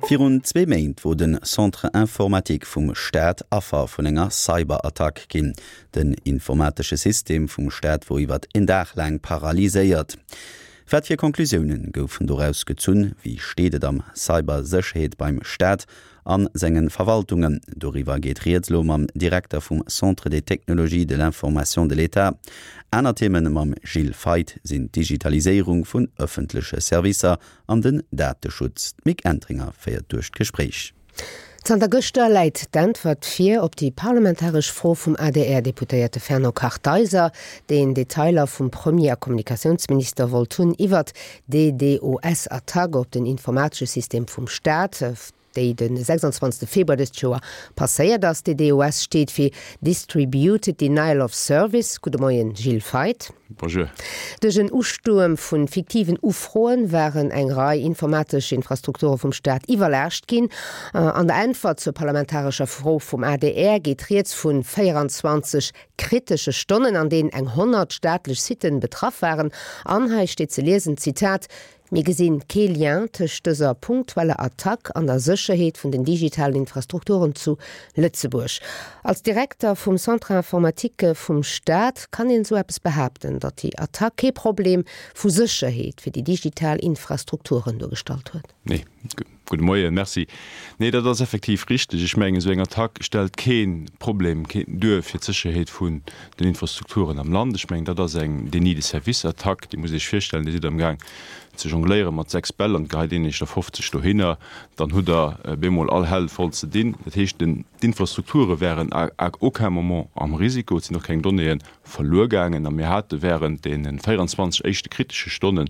Virun zwee Méint wor de Centre informatique vum Staat Affer vun enger Cyberattack ginn. Den informatesche System vum Staat wor iwwert een Dag laang paralyséiert. Wat fir Conclusiounen goufen doraus gezunn? Wéi steet et am Cybersécherheet beim Staat an sengen Verwaltungen? Doriwwer geet rieds elo mam Direkter vum Centre des technologies de l'information de l'État. Aner Themen mam Gilles Feith sinn d'Digitaliséierung vun ëffentleche Servicer an den Dateschutz. D'Mick Entringer féiert duerch d'Gespréich. Zanter gëschter läit d'Äntwert vir op déi parlamentaresch Fro vum ADR-Deputéierte Fernand Kartheiser, deen Detailer vum Premier a Kommunikatiounsminister wollt hunn iwwert d'DDoS-Attack op den informatesche System vum Staat, déi de 26 Februar dëst Joer passéiert ass. DDoS steet fir Distributed Denial of Service. Gudde Moien, Gilles Feith. Bonjour. Duerch en Ustuerm vu fiktiven Ufroen waren eng Rei informatesch Infrastrukture vum Staat iwwerlaascht ginn. An der Äntwert zur parlamentarescher Fro vum adr geet rieds vu 24 kritesche Stonnen, an deenen eng 100 staatlech Sitten betraff waren. An hei steet ze liesen, Zitat, Mir gesinn kee Lien tëscht dëser punktueller Attack an der Sécherheet vun den digitalen Infrastrukturen zu Lëtzebuerg. Als Direkter vum Centre informatique vum Staat, kann een esou eppes behaapten, datt déi Attack kee Problem vu Sécherheet fir déi digital Infrastrukturen duergestallt huet? Nee. Gudde Moien, merci. Nee, dat ass effektiv richteg. Ech mengen, esou eng Attack stellt kee Problem duer fir d'Sécherheet vun den Infrastrukturen am Land. Ech mengen, dat ass eng Déni-de-service-Attack. Dir musst Iech virstellen, Dir sidd amgaang ze jongléiere mat 6 Bäll an et geheit een Iech der 50 dohinner. Dann hutt Der bemol all Hänn voll ze dinn. Dat heescht, d'Infrastrukture wären à aucun moment am Risiko. Et sinn och keng Donnéeë verluer gaangen a mir hate während deene 24 éischte kritesche Stonnen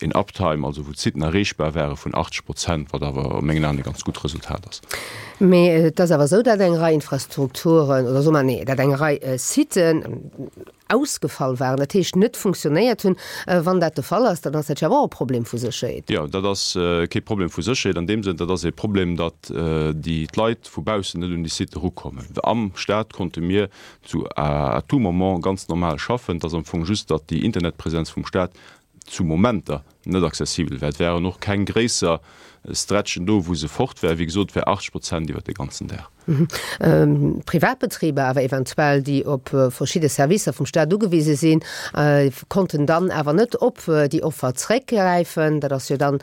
een Uptime, also wou d'Siten erreechbar ware vun 80 Prozent, wat awer a mengen Aen e ganz gutt Resultat ass. Mee et ass awer esou, datt eng Rei Infrastrukturen, oder soe mer, nee, datt eng Rei Siten ausgefall waren, dat heescht net funktionéiert hunn. Wann dat de Fall ass, dann ass dat jo awer och e Problem vu Sécherheet. Jo, dat ass kee Problem vu Sécherheet an deem Sënn, dat ass e Problem, datt déi d'Leit vu baussen net un déi Sitë erukommen. Am Staat konnte mir zu à tout moment ganz normal schaffen. Et ass am Fong just, datt déi Internetpräsenz vum Staat zu Momenter net accessibel war. Et waren och keng gréisser Stretchen do, wou se fort war. Wéi gesot, et war 80 Prozent iwwert de ganzen Dag. Privatbetriber awer eventuell, déi op verschidde Servicer vum Staat ugewise sinn, konnten dann awer net op déi Offer zréckgräifen. Dat ass jo dann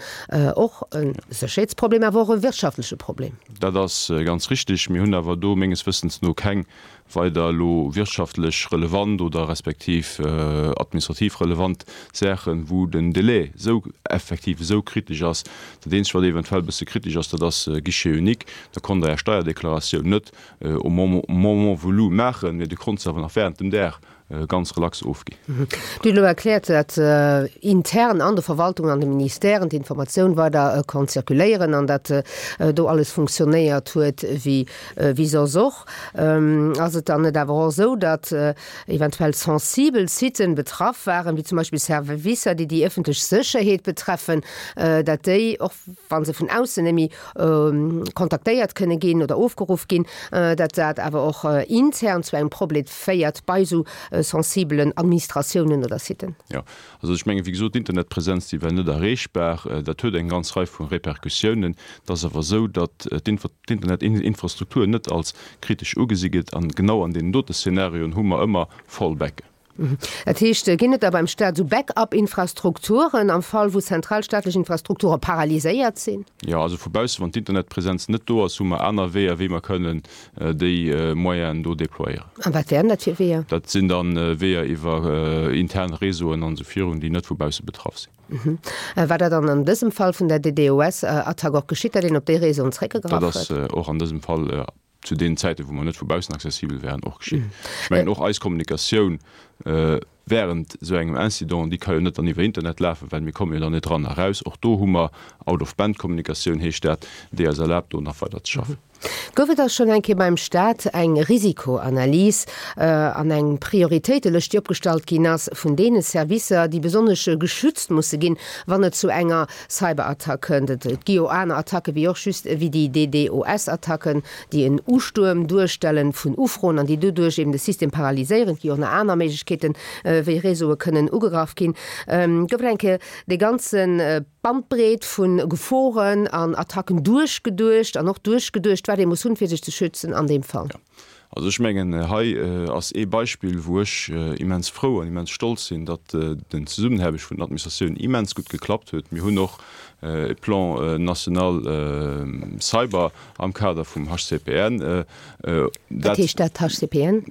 och e Sécherheetsproblem, awer och e wirtschaftleche Problem. Dat ass ganz richtig. Mir hunn awer do menges Wëssens no keng weider elo wirtschaftlech relevant oder respektiv administrativ relevant Saachen, wou den Délai esou effektiv esou kritesch ass. Dat Eenzegt, wat eventuell e bësse kritesch ass, dat ass Guichet unique. Da konnt Der Är Steierdeklaratioun net au moment voulu maachen, mee Dir konnt se awer nach während dem Dag ganz relax ofginn. Dir hutt elo erkläert, datt intern an de Verwaltungen, an de Ministèren d'Informatioun weider konnt zirkuléieren an datt do alles funktionéiert huet wéi soss och. Ass et dann net awer och esou, datt eventuell sensibel Siten betraff waren, wéi zum Beispill Servicer, déi déi ëffentlech Sécherheet betreffen, datt déi, och wa se vun aussen net méi kontaktéiert kënne ginn oder ofgeruff ginn, datt dat awer och intern zu engem Problem féiert bei esou sensibelen Administratiounen oder Siten? Jo, also ech mengen, wéi gesot, d'Internetpresenz, déi war net erreechbar. Dat huet eng ganz Rei vu Repercussiounen. Et ass awer esou, datt d'Internetinfrastruktur net als kritesch ugesi gëtt. An genau an deenen dote Szenarioen hu mer ëmmer Fallbacken. Dat heescht, ginn et da beim Staat esou Backup-Infrastrukturen am Fall, wou zentral staatlech Infrastrukture paralyséiert sinn? Jo, also vu bausse, wann d'Internetpresenz net do ass, hu mer aner Weeër, wéi mer kënnen déi Moyenen do déployéieren. A wat wären dat fir Weeër? Dat sinn da Weeër iwwer intern Réseauen an esou virun, déi net vu bausse betraff sinn. War dat dann an dësem Fall vun der DDoS-Attack och geschitt, datt een op déi Réseauen zréckgegraff huet? Dat ass och an dësem Fall zu deenen Zäiten, wou mer net vu baussen accessibel waren, och geschitt. Ech mengen, och eis Kommunikatioun während esou engem Incident, déi ka jo net dann iwwer Internet lafen, well mir komme jo dann net eran a raus. Och do hu mer Out-of-Band-Kommunikatioun, heescht dat, déi eis erlaabt, do nach weider ze schaffen. Gouf et da schonn eng Kéier beim Stat eng Risikoanalys an eng Prioritéitelëscht, déi opgestallt ginn ass vun deene Servicer, déi besonnesch geschützt musse ginn, wann et zu enger Cyberattack kënnt. Et gi jo aner Attacke wéi och just wéi déi DDoS-Attacken, déi en Ustuerm duerstellen vun Ufroen an déi doduerch eben de System paralyséieren. Et gi jo och nach aner Méiglechkeeten, wéi Réseaue kënnen ugegraff ginn. Gouf et eng Kéier dee ganze Bandbreet vu Geforen an Attacken duerchgeduecht an och duerchgeduecht, wat ee muss hunn, fir sech ze schützen an deem Fall? Jo. Also ech mengen, hei ass ee Beispill, wou ech immens frou an immens stolz sinn, datt den Zesummenaarbecht vun den Administratiounen immens gutt geklappt huet. Mir hunn och e Plan national cyber am Kader vum HCPN. Wat heescht dat, HCPN?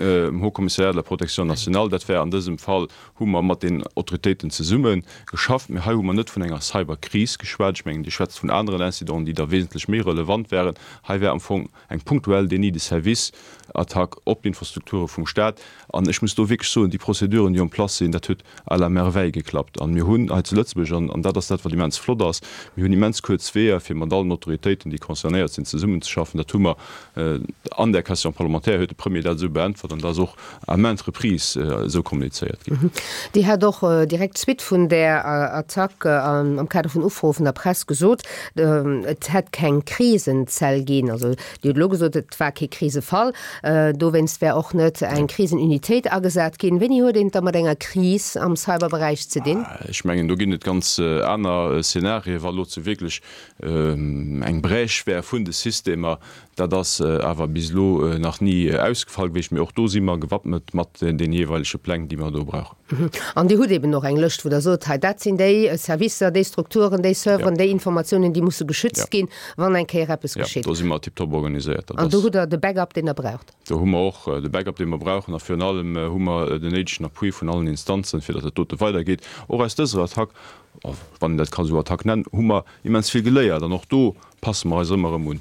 Haut Commissariat à la protection nationale. Dat war an dësem Fall hu mer mat den Autoritéiten zesumme geschafft. Mee hei hu mer net vun enger Cyberkris geschwat. Ech mengen, Dir schwätzt vun aneren Incidenten, déi da wesentlech méi relevant waren. Hei war am Fong eng punktuell Déni de service-Attack op d'Infrastrukture vum Staat. An ech muss do wierklech soen, déi Prozeduren, déi en place sinn, dat huet à la merveille geklappt. An mir hunn hei zu Lëtzebuerg, an dat ass dat, wat immens flott ass, mir hunn immens kuerz Weeër, fir mat allen Autoritéiten, déi concernéiert sinn, zesummenzeschaffen. Dat hu mer an där Question parlementaire, huet de Premier dat esou beäntwert an dat ass och à maintes reprises esou kommunizéiert ginn. Dir hat och direkt d'Suite vun där Attack am Kader vun Ufroe vun der Press gesot, Et hätt keng Krisenzell ginn. Also Dir hutt elo gesot, et war kee Krisefall, dowéinst wär och net eng Krisenunitéit agesat ginn. Wéini huet een et da mat enger Kris am Cyberberäich ze dinn? Ech mengen, do ginn et ganz aner Szenarien, wa elo zu wierklech eng Brèche wär vun de Systemer, Dat ass awer bis elo nach ni ausgefall gewiescht, mee och do si mer gewappnet mat deene jeeweilege Pläng, déi mer do brauchen. An Dir hutt eben och eng Lëscht, wou Der sot, hei dat sinn déi Servicer, déi Strukturen, déi Serveren, déi Informatiounen, déi musse geschützt ginn, wann eng Kéier eppes geschitt. Jo, do si mer tiptop organiséiert. An do hutt Der de Backup, deen Der braucht. Do hu mer och de Backup, dee mer brauchen. A virun allem hu mer den néidegen Appui vun allen Instanzen, fir datt dat dote weidergeet. Och aus dëser Attack, wann een dat ka sou Attack nennen, hu mer immens vill geléiert. An och do passe mer eis ëmmer erëm un.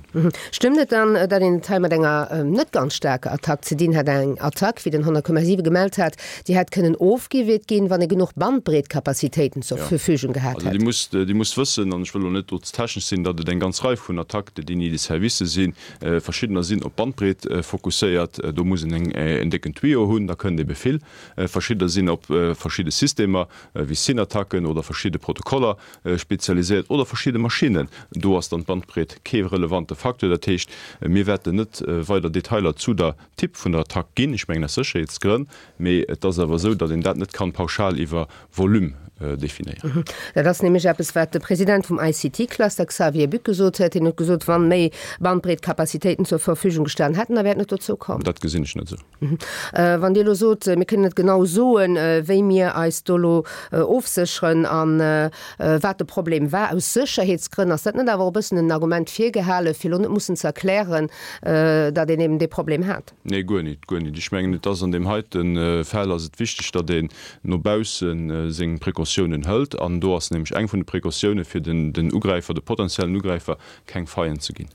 Stëmmt et dann, datt een et hei mat enger net ganz staarker Attack ze dinn hat? Eng Attack, wéi den 100,7 gemellt hat, déi hätt kënnen ofgewiert ginn, wann ee genuch Bandbreetkapazitéiten zur Verfügung gehat hätt? Also Dir musst wëssen, an ech wëll elo net do ze technesch sinn, datt et eng ganz Rei vun Attaques de déni de service sinn. Verschiddener sinn op d'Bandbreet fokusséiert, do muss een en décken Tuyau hunn, da kënnt ebe vill. Verschiddener sinn op verschidde Systemer, wéi SYN-Attacken oder verschidde Protokoller spezialiséiert oder verschidde Maschinnen. Do ass dann d'Bandbreet kee relevante Facteur. Dat heescht, mir wäerten net weider Detailer zu der Typ vun der Attack ginn, ech mengen aus Sécherheetsgrënn, mee et ass awer esou, datt een dat net kann pauschal iwwer Volume definéieren. Dat ass nämlech eppes, wat de President vum ICT-Cluster Xavier Buck gesot huet. Hien huet gesot, wann méi Bandbreetkapazitéiten zur Verfügung gestanen hätten, da wär et net dozou komm. Dat gesinn ech net esou. Wann Dir elo sot, mir kënnen net genau soen, wéi mir eis do elo ofsécheren a wat de Problem war, aus Sécherheetsgrënn, ass dat net awer och e bëssen en Argument virgehale fir elo net mussen ze erklären, datt een eben dee Problem hat? Nee, guer nit, guer nit. Ech mengen, et ass an deem heite Fall ass et wichteg, datt een no bausse seng Precautiounen hëlt. An do ass nämlech eng vun de Precautiounen, fir den Ugräifer, de potenziellen Ugräifer keng Faillen ze ginn.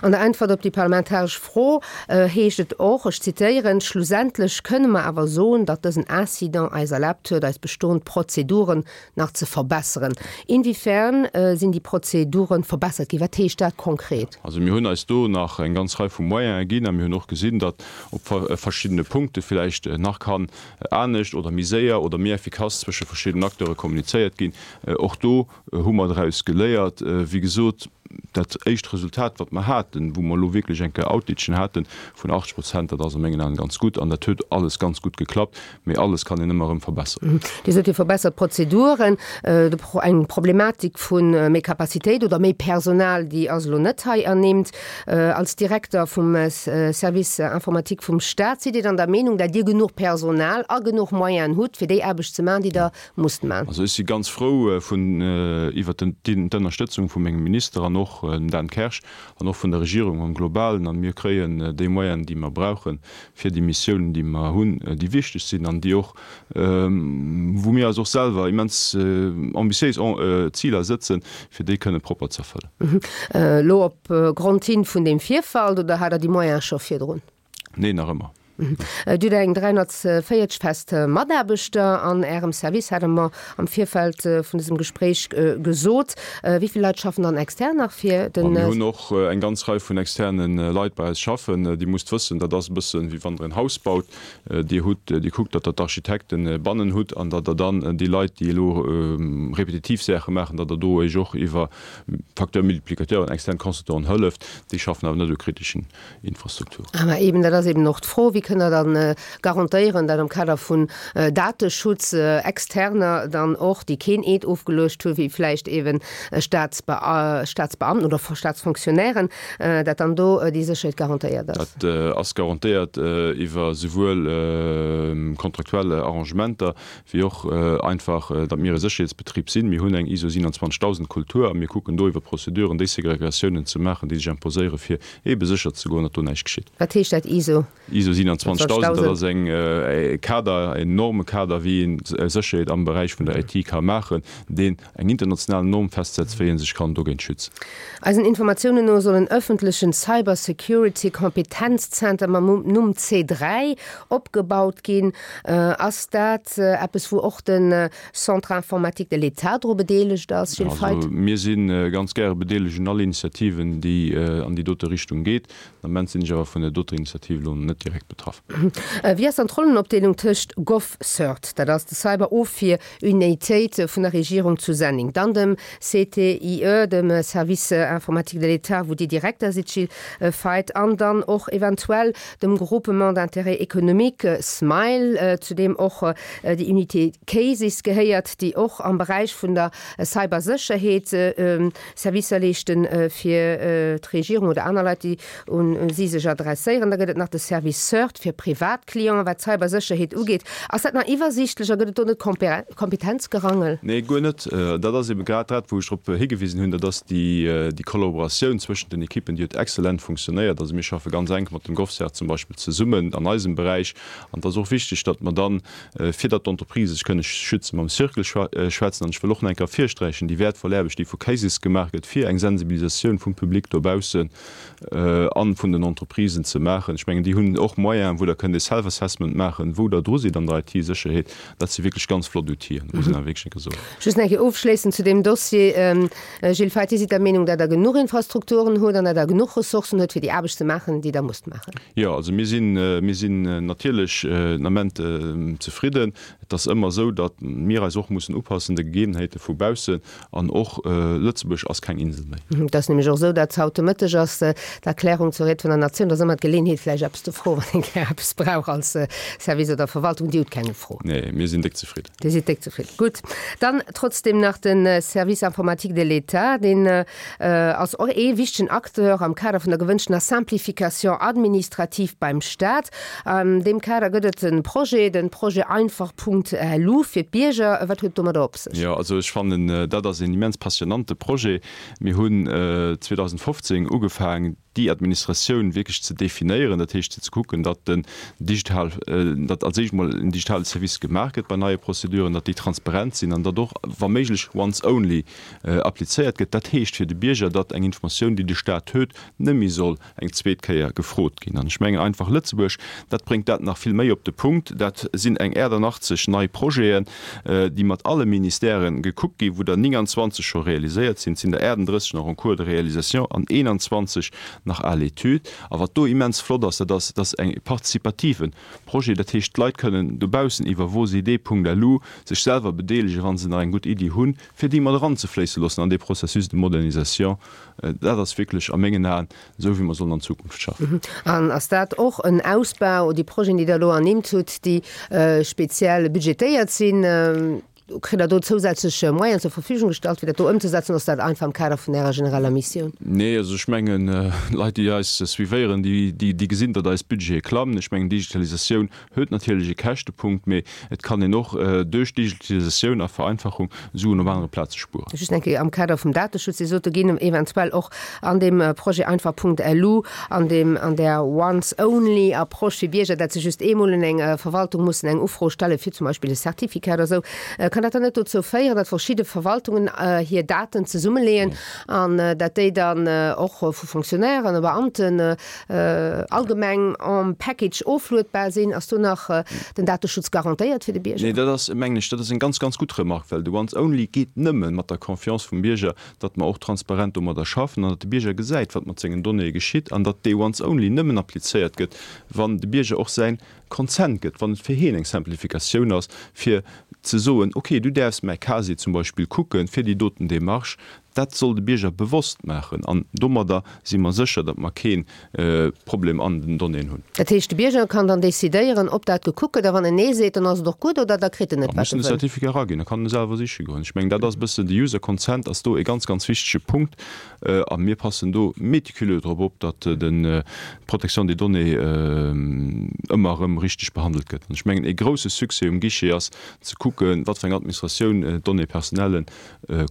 An der Äntwert op déi parlamentaresch Fro heescht et och, ech zitieren, Schlussendlech kënne mer awer soen, datt dësen Incident eis erlaabt huet, eis bestoend Prozeduren nach ze verbesseren. Inwiefern sinn déi Prozeduren verbessert ginn? Wat heescht dat konkret? Also mir hunn eis do nach eng ganz Rei vu Moyene ginn a mir hunn och gesinn, datt op verschiddene Punkte villäicht nach kann anescht oder méi séier oder méi effikass zwësche verschiddenen Acteure kommunizéiert ginn. Och do hu mer draus geléiert. Wéi gesot, dat éischt Resultat, wat mer haten, wou mer elo wierklech eng Kéier Outagen haten vun 80 Prozent, dat ass a mengen Aen ganz gutt an dat huet alles ganz gutt geklappt. Mee alles kann een ëmmer erëm verbesseren. Dir sot, Dir verbessert d'Prozeduren. Eng Problematik vu méi Capacitéit oder méi Personal, déi ass elo net hei ernimmt. Als Direkter vum Service informatique vum Stat, sidd Dir dann der Meenung, dat Dir genuch Personal a genuch Moyenen hutt, fir déi Aarbecht ze maachen, déi Der musst man. Also ech si ganz frou vun iwwert d'Ënnerstëtzung vu mengem Minister an och dem Dan Kersch an och vun der Regierung am Globalen. An mir kréien déi Moyenen, déi mer brauchen, fir déi Missiounen, déi mer hunn, déi wichteg sinn an déi och, wou mir eis och selwer immens ambitiéis Ziler sëtzen, fir déi kënne propper ze erfëllen. Elo op Grond hin vun deem Virfall, oder hat Der déi Moyene scho virdrun? Nee, nach ëmmer. Dir hutt eng 340 fest Mataarbechter an Ärem Service, hat Der mer am Virfeld vun dësem Gespréich gesot. Wéi vill Leit schaffen dann extern nach fir den. Mir hunn och eng ganz Rei vun externe Leit bei eis schaffen. Dir musst wëssen, dat ass e bësse wéi wann Der en Haus baut. Dir hutt, Dir kuckt, datt Der d'Architekte bannen hutt an datt Der dann déi Leit, déi elo repetitiv Saache maachen, datt Der do Iech och iwwer Facteur multiplicateur, extern Consultanten hëlleft. Déi schaffen awer net u kriteschen Infrastrukturen. Awer eben, dat ass eben och d'Fro, wéi. Wéi kënnt Der dann garantéieren, dat am Kader vun Dateschutz Externer dann och, déi keen Eed ofgeluecht hu wéi vläicht eeben Staatsbeamten oder Staatsfonctionnairen, dat dann do déi Sécherheet garantéiert ass? Dat ass garantéiert iwwer souwuel kontraktuell Arrangementer wéi och einfach, datt mir e Sécherheetsbetrib sinn. Mir hunn eng ISO 27000 Kultur a mir kucken do iwwer Prozeduren déi Segregatiounen ze maachen, déi sech imposéieren, fir eebe sécher ze goen, datt do näischt geschitt. Wat heescht dat, ISO? ISO 27000, dat ass eng Kader, en Normekader, wéi ee Sécherheet am Beräich vun der IT ka maachen, deen eng international Norm festsetzt, wéi ee sech kann dogéint schützen. Eisen Informatiounen no soll en ëffentlechen Cybersecurity Kompetenzzenter mam Numm C3 opgebaut ginn. Ass dat eppes, wou och de Centre informatique de l'État dru bedeelegt ass, Gilles Feith? Also mir si ganz gäre bedeelegt un all Initiativen, déi an déi dote Richtung geet. Den Ament sinn ech awer vun der doter Initiativ elo net direkt betraff. Wéi ass dann d'Rollenopdeelung tëscht GovCERT, dat ass de Cyber-Ofwier-Unitéit vun der Regierung zu Senneng, dann dem CTIE, dem Service informatique de l'État, wou Dir Direkter sidd, Gilles Feith, an dann och eventuell dem Groupement d'intérêt économique, SMILE, zu deem och déi Unité CASIS gehéiert, déi och am Beräich vun der Cybersécherheet Servicer leeschte fir d'Regierung oder aner Leit, déi un si sech adresséieren. Da gëtt et nach de Service CERT fir Privatclienten, wat d'Cybersécherheet ugeet. Ass dat nach iwwersiichtlech a gëtt et do net Kompetenzgerangel? Nee, guer net. Dat ass ebe grad dat, wou ech drop higewisen hunn. Dat ass déi Kollaboratioun zwëschent den Ekippen, déi huet exzellent funktionéiert. Also mir schaffe ganz enk mat dem GovCERT zum Beispill zesummen an eisem Beräich. An et ass och wichteg, datt mer dann, fir datt d'Entreprisë sech kënne schützen, mam Cercle schwätzen. An ech wëll och nach eng Kéier ervirsträichen, déi wäertvoll Aarbecht, déi vu CASES gemaach gëtt, fir eng Sensibilisatioun vum Public dobaussen a vun den Entreprisen ze maachen. Ech mengen, déi hunn och Moyenen, wou Der kënnt e Self-Assessment maachen, wou Der dru sidd an der IT-Sécherheet. Dat si wierklech ganz flott Outile, muss een awer wierklech eng Kéier soen. Just nach eng Kéier ofschléissend zu deem Dossier, Gilles Feith, Dir sidd der Meenung, datt Der genuch Infrastrukturen hutt an datt Der genuch Ressourcen hutt, fir déi Aarbecht ze maachen, déi Der musst maachen? Jo, also mir sinn, mir sinn natierlech den Ament zefridden. Et ass ëmmer esou, datt mir eis och mussen upassen de Gegebenheete vu baussen. An och Lëtzebuerg ass keng Insel méi. Et ass nämlech och esou, datt haut de Mëtteg ass d'Erklärung zur Ried vun der Natioun. Da ass ëmmer d'Geleeënheet, vläicht eppes ze froen, wann een gär eppes brauch als Service oder Verwaltung. Dir hutt keng Fro? Nee, mir sinn déck zefridden. Dir sidd déck zefridden. Gutt. Dann trotzdem nach de Service informatique de l'État, deen ass och ee wichtegen Acteur am Kader vun der gewënschtener Simplification administrative beim Staat. An deem Kader gëtt et e Projet, de Projet einfach.lu fir d'Bierger. Wat huet et domadder op sech? Jo, also ech fannen, dat ass een immens passionante Projet. Mir hunn 2015 ugefaangen, déi Administratioun wierklech ze definéieren, dat heescht ze kucken, datt den digital, datt als éischt emol en digitale Service gemaach gëtt bei neie Prozeduren, datt déi transparent sinn an datt och wa méiglech once only applizéiert gëtt. Dat heescht fir de Bierger, datt eng Informatioun, déi de Staat huet, net méi soll eng zweet Kéier gefrot ginn. An ech mengen einfach Lëtzebuerg, dat bréngt dat nach vill méi op de Punkt. Dat sinn eng 88 nei Projeten, déi mat alle Ministèrë gekuckt ginn, wou der 29 scho realiséiert sinn. Et sinn der 38 nach en cours de réalisation an 21 nach à l'étude. A wat do immens flott ass, dat ass, dass eng participative Projet, dat heescht d'Leit kënnen dobaussen iwwer vosidee.lu sech selwer bedeelegen, wa se nach eng gutt Iddi hunn, fir déi mat eranzefléisse loossen an dee Processus de modernisation. Dat ass wierklech a mengen Aen esou, wéi mer sollen an Zukunft schaffen. An ass dat och en Ausbau, déi Projeten, déi Der elo ernimmt hutt, déi speziell budgetéiert sinn? Kritt Der do zousätzlech Moyenen zur Verfügung gestallt, fir dat do ëmzesetzen, oder ass dat einfach am Kader vun Ärer genereller Missioun? Nee, also ech mengen, Leit, déi eis suivéieren, déi gesinn, datt eis Budgete klammen. Ech mengen, Digitalisatioun huet natierlech e Käschtepunkt, mee et kann een och duerch Digitalisatioun a Vereinfachung Suen op anere Plaze spueren. Just eng Kéier am Kader vum Dateschutz, Dir sot, do ginn eventuell och an deem Projet einfach.lu, an deem, an där Once-only-Approche fir Bierger, dat se just eemol un eng Verwaltung mussen eng Ufro stellen, fir zum Beispill e Certificat oder esou, kann dat dann net dozou féieren, datt verschidde Verwaltungen hir Daten zesummeleeën an dat déi dann och vu Fonctionnairen a Beamten allgemeng en Package ofluedbar sinn? Ass do nach den Dateschutz garantéiert fir de Bierger? Nee, dat ass, mengen ech, dat ass eng ganz, ganz gutt Remarque, well de Once Only geet nëmme mat der Confiance vum Bierger, datt mer och transparent domadder schaffen an datt de Bierger gesäit, wat mat sengen Donnéeë geschitt an datt dee Once Only nëmmen applizéiert gëtt, wann de Bierger och säin Consent gëtt, wann et fir hien eng Simplificatioun ass, fir ze soen, okay, du däerfs mäi Casier zum Beispill kucken, fir déi doten Démarche. Dat soll de Bierger bewosst maachen an domadder si mer sécher, datt mer kee Problem an den Donnéeën hunn. Dat heescht, de Bierger kann dann decidéieren, ob dat gekuckt gëtt a wann en Nee seet, dann ass et och gutt oder da kritt en net, wat en wëll? Da muss en de Certificat eraginn, da kann en e selwer siche goen. Ech mengen, dat ass e bëssen, de User Consent ass do e ganz, ganz wichtege Punkt a mir passen do méticuleux drop op, datt d'Protection des données ëmmer erëm richteg behandelt gëtt. An ech mengen, e grouse Succès um Guichet ass ze kucken, wat fir eng Administratioun d'Données personnelles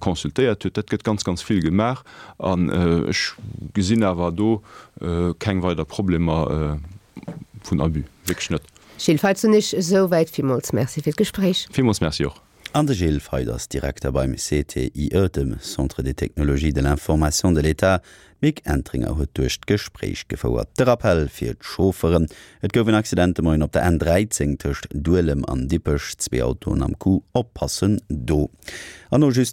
consultéiert huet. Dat gëtt ganz, ganz vill gemaach an ech gesinn awer do keng weider Problemer vun Abus, wierklech net. Gilles Feitzenich, esouwäit. Villmools Merci fir d'Gespréich. Villmools Merci och. An de Gilles Feith ass Direkter beim CTIE, dem Centre des technologies de l'information de l'État. D'Mick Entringer huet duerch d'Gespréich gefouert. De Rappell fir d'Chaufferen, Et gouf en Accident de Moien op der N 13 tëscht Duelem an Dippech. Zwee Autoen am Coup, oppassen do. An no just.